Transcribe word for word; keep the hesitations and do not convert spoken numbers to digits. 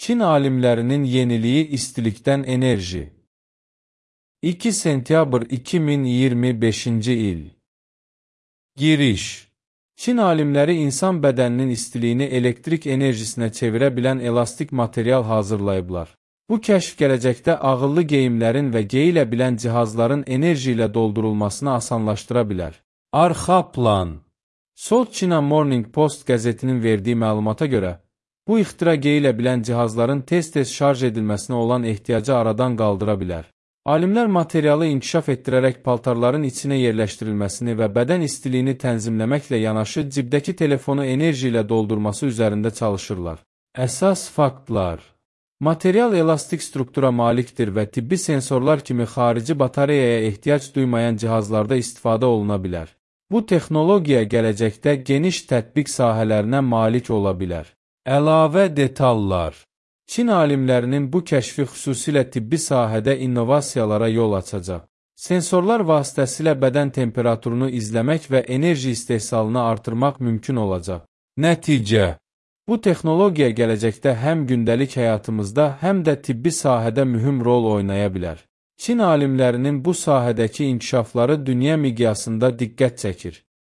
Çin alimlərinin yeniliyi istilikdən enerji. iki sentyabr iki min iyirmi beşinci il. Giriş. Çin alimləri insan bədəninin istiliyini elektrik enerjisinə çevirə bilən elastik material hazırlayıblar. Bu kəşf gələcəkdə ağıllı geyimlərin və geyilə bilən cihazların enerji ilə doldurulmasını asanlaşdıra bilər. Arxa plan. South China Morning Post qəzetinin verdiyi məlumata görə, bu ixtira geyilə bilən cihazların tez-tez şarj edilməsinə olan ehtiyacı aradan qaldıra bilər. Alimlər materialı inkişaf etdirərək paltarların içinə yerləşdirilməsini və bədən istiliyini tənzimləməklə yanaşı cibdəki telefonu enerji ilə doldurması üzərində çalışırlar. Əsas faktlar. Material elastik struktura malikdir və tibbi sensorlar kimi xarici batareyaya ehtiyac duymayan cihazlarda istifadə oluna bilər. Bu texnologiya gələcəkdə geniş tətbiq sahələrinə malik ola bilər. Əlavə detallar. Çin alimlərinin bu kəşfi xüsusilə tibbi sahədə innovasiyalara yol açacaq. Sensorlar vasitəsilə bədən temperaturunu izləmək və enerji istehsalını artırmaq mümkün olacaq. Nəticə. Bu texnologiya gələcəkdə həm gündəlik həyatımızda, həm də tibbi sahədə mühüm rol oynaya bilər. Çin alimlərinin bu sahədəki inkişafları dünya miqyasında diqqət çəkir.